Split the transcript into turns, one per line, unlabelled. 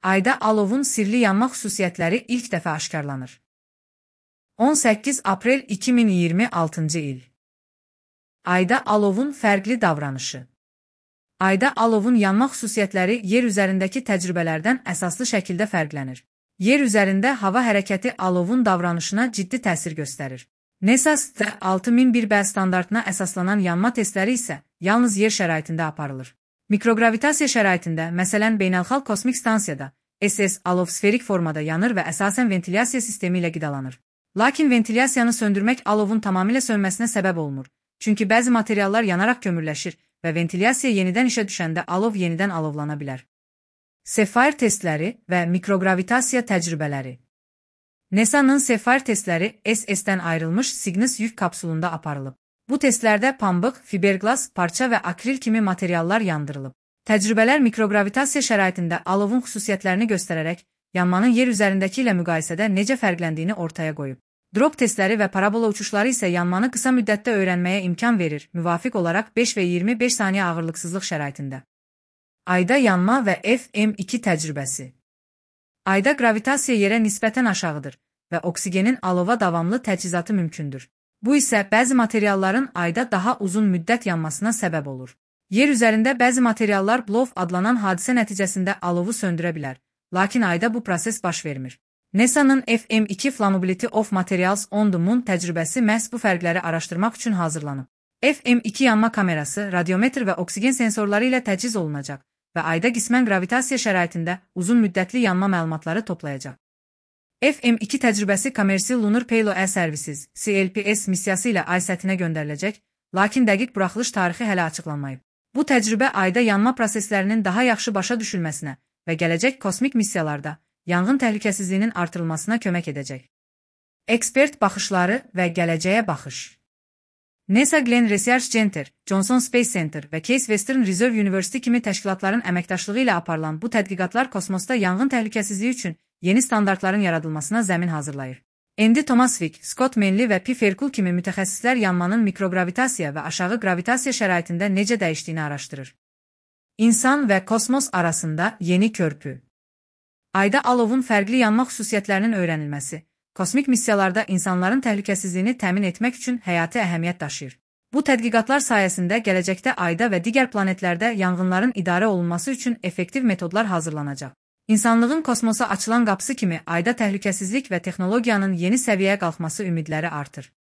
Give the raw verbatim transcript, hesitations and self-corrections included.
Ayda alovun sirli yanma xüsusiyyətləri ilk dəfə aşkarlanır. on səkkiz aprel iki min iyirmi altıncı il. Ayda alovun fərqli davranışı. Ayda alovun yanma xüsusiyyətləri yer üzərindəki təcrübələrdən əsaslı şəkildə fərqlənir. Yer üzərində hava hərəkəti alovun davranışına ciddi təsir göstərir. NASA altı min bir B standartına əsaslanan yanma testləri isə yalnız yer şəraitində aparılır. Mikrogravitasiya şəraitində, məsələn Beynəlxalq Kosmik Stansiyada, S S alov sferik formada yanır və əsasən ventilyasiya sistemi ilə qidalanır. Lakin ventilyasiyanı söndürmək alovun tamamilə sönməsinə səbəb olmur. Çünki bəzi materiallar yanaraq kömürləşir və ventilyasiya yenidən işə düşəndə alov yenidən alovlana bilər. Sapphire testləri və mikrogravitasiya təcrübələri. NASA'nın Sapphire testləri S S'dən ayrılmış Cygnus yük kapsulunda aparılıb. Bu testlərdə pambıq, fiberglas, parça və akril kimi materiallar yandırılıb. Təcrübələr mikrogravitasiya şəraitində alovun xüsusiyyətlərini göstərərək, yanmanın yer üzərindəki ilə müqayisədə necə fərqləndiyini ortaya qoyub. Drop testləri və parabola uçuşları isə yanmanı qısa müddətdə öyrənməyə imkan verir, müvafiq olaraq beş və iyirmi beş saniyə ağırlıqsızlıq şəraitində. Ayda yanma və F M iki təcrübəsi. Ayda gravitasiya yerə nisbətən aşağıdır və oksigenin alova davamlı təchizatı mümkündür. Bu isə bəzi materialların ayda daha uzun müddət yanmasına səbəb olur. Yer üzərində bəzi materiallar blow adlanan hadisə nəticəsində alovu söndürə bilər, lakin ayda bu proses baş vermir. NASA'nın F M iki Flammability of Materials on the Moon təcrübəsi məhz bu fərqləri araşdırmaq üçün hazırlanıb. F M iki yanma kamerası, radiometr və oksigen sensorları ilə təchiz olunacaq və ayda qismən gravitasiya şəraitində uzun müddətli yanma məlumatları toplayacaq. F M iki təcrübəsi Commercial Lunar Payload Services C L P S missiyası ilə ay səthinə göndəriləcək, lakin dəqiq buraxılış tarixi hələ açıqlanmayıb. Bu təcrübə ayda yanma proseslərinin daha yaxşı başa düşülməsinə və gələcək kosmik missiyalarda yanğın təhlükəsizliyinin artırılmasına kömək edəcək. Ekspert baxışları və gələcəyə baxış. NASA Glenn Research Center, Johnson Space Center və Case Western Reserve University kimi təşkilatların əməkdaşlığı ilə aparılan bu tədqiqatlar kosmosda yanğın təhlükəsizliyi üçün yeni standartların yaradılmasına zəmin hazırlayır. Andy Tomasvik, Scott Manley və P. Ferkul kimi mütəxəssislər yanmanın mikrogravitasiya və aşağı gravitasiya şəraitində necə dəyişdiyini araşdırır. İnsan və kosmos arasında yeni körpü. Ayda alovun fərqli yanma xüsusiyyətlərinin öyrənilməsi, kosmik missiyalarda insanların təhlükəsizliyini təmin etmək üçün həyati əhəmiyyət daşıyır. Bu tədqiqatlar sayəsində gələcəkdə ayda və digər planetlərdə yanğınların idarə olunması üçün effektiv metodlar hazırlanacaq. İnsanlığın kosmosa açılan qapısı kimi ayda təhlükəsizlik və texnologiyanın yeni səviyyəyə qalxması ümidləri artır.